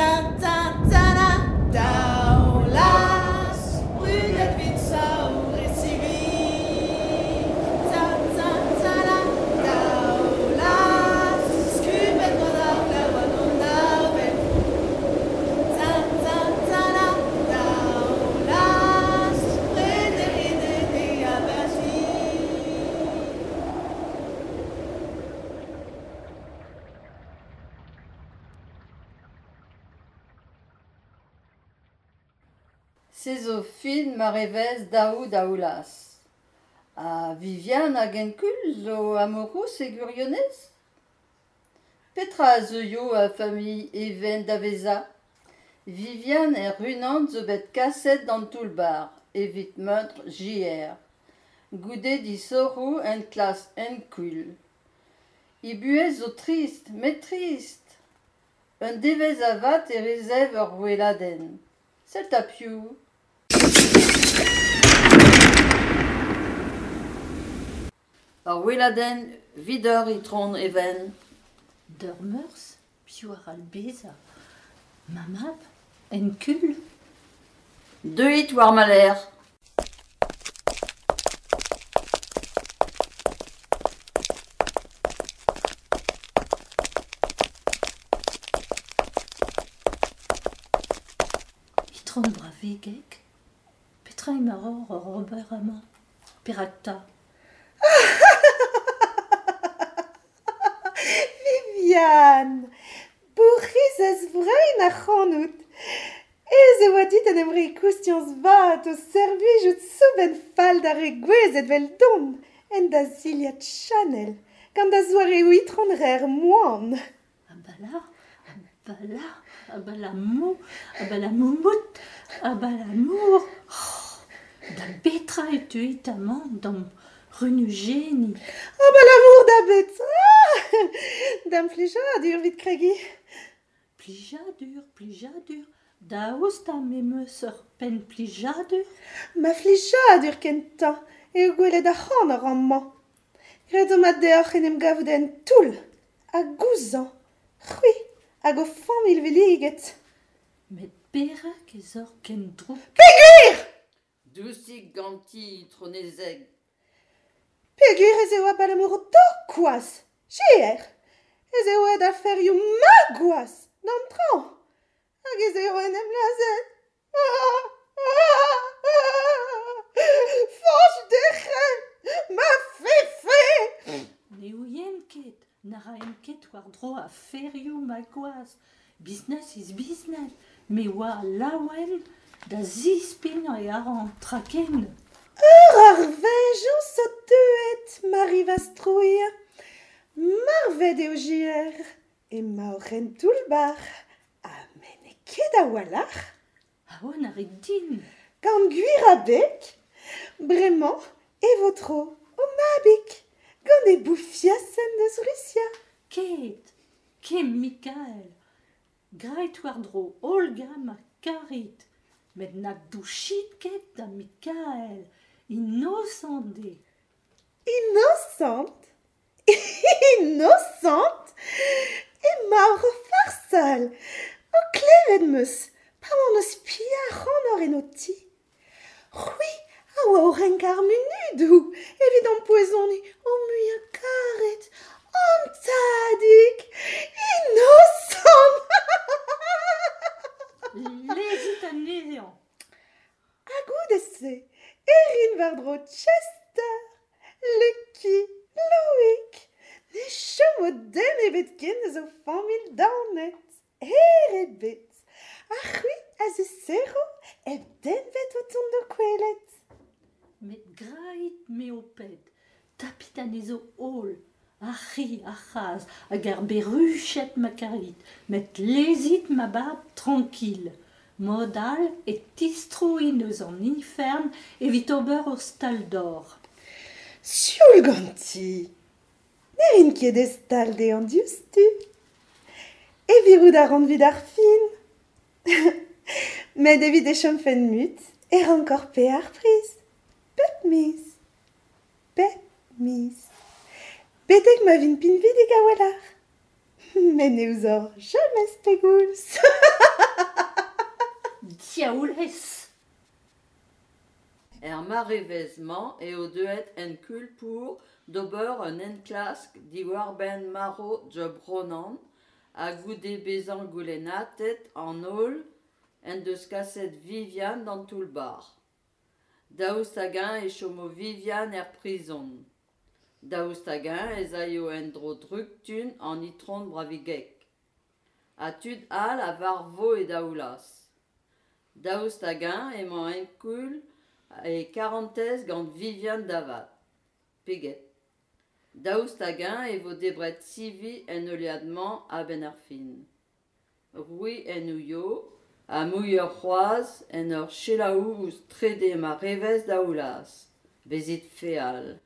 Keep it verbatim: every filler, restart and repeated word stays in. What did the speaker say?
Ta ta ta Daoulas, brudet vit saour e sivi. Ta ta ta la Daoulas, skubet gant ar glav hag an avel. Ta ta ta la Daoulas, prederit ene aberzi. Se zo fin marevezh daou Daoulaz. Ha Viviane hag Enkul zo amourouz e gwirionez ? Petra a zeuio a familh Even da vezañ ? Viviane hec'h-unan zo bet kaset d'an toull-bac'h evit meuntr J R goude disoc'hoù enklask Enkul. He buhez zo trist, met trist. Un devezh avat e resev ur weladenn. Sell 'ta piv ! Ur weladenn 'vidoc'h Itron Even. D'ur meurzh, piv a c'hall bezañ ? Ma mab, Enkul ? Deuit war ma lerc'h. Itron Bravegeg, petra emaoc'h oc'h ober amañ ? Perak 'ta ? Viviane, bourc'hizez vrein ac'hanout. Aes e oa dit en em reiñ koustiañs vat o servijout soubenn fall d'ar re gouezet 'veldon en da zilhad Chanel gant da zoareoù itron rer moan. Abala, abala, abalamour, abalamoumout, abalamour. Oh, da betra e teuit amañ d'am runujenniñ ? Abalamour da betra ? Da'm flijadur evit kregiñ. Plijadur, plijadur, daoust ha me 'm eus ur penn plijadur ? Ma flijadur kentañ eo gwelet ac'hanoc'h amañ. Graet zo mat deoc'h en em gavout en toull ha gouzañv, c'hwi hag ho familh villiget. Met perak ez oc'h ken drouk ? Peogwir ! Dousik ganti, itronezeg. Peogwir ez eo abalamour d'ho kwaz, J R. Ez eo aet aferioù ma gwaz, d'an traoñ. Hag ez eo en em lazhet. Ah, ah, ah. Fañch Derc'hen, ma fefe ! Ne ouien ket, na raen ket war-dro aferioù ma gwaz. Business is business, me oa laouen da zispignañ e arc'hant traken. Ur ar veñjañs zo deuet, Marie Vastrouilh. Marvet eo J R. Emaoc'h en toull-bac'h. Ha me n'eo ket a-walc'h. Aon a rit din. Gant gwir abeg. Bremañ e vo tro ho mabig gant e boufiasenn eus Rusia. Ket, ket Mikael. Graet war-dro Olga ma karit. Met na douchit ket da Mikael. Innocent eo. Innocent ? Innocent ? Emaoc'h o farsal. O klevet 'm eus pa oan o spiañ ac'hanoc'h en ho ti. C'hwi a oa o renkañ ar munudoù evit ampoezoniñ ho muiañ karet. An tadig ! Innocent ! Lezit anezhañ. Ha goude-se e rin war-dro Chester, Lucky, Loïc. Ne chomo den ebet ken eus ho familh daonet. Hêr ebet. Ha c'hwi a zisero hep den ebet o tont d'ho kwelet. Met graet me ho ped, tapit anezho holl, ar c'hi, ar c'hazh hag ar berruched ma karit, met lezit ma bab trankil. Mod all e tistroin eus an ifern evit ober ur stal-dor. Sioul ganti ! Ne rin ket e stal dezhañ diouzhtu. E virout a ran evit ar fin. Met evit e chomfen mut e rankor paeañ ar priz. Pep miz. Pep miz. Betek ma vin pinvidik a-walc'h. Met ne ouzoc'h james pegoulz. Diaoulez ! Er marevezh-mañ eo deuet Hercule Poirot d'ober un enklask diwar-benn marv Job Ronan ha goude bezañ goulennatet an holl en deus kaset Viviane d'an toull-bac'h. Daoust hag-eñ e chomo Viviane er prizon ? Daoust hag-eñ ez aio en-dro drouktu an itron Bravigeg ? Ha tud all a varvo e Daoulaz ? Daoust hag-eñ emañ Hercule e karantez gant Viviane da vat ? Pe get ? Daoust hag-eñ e vo debret sivi en heuliad-mañ a-benn ar fin ? C'hwi en ouio ha muioc'h c'hoazh en ur selaou ouzh trede marevezh Daoulaz. Bezit feal.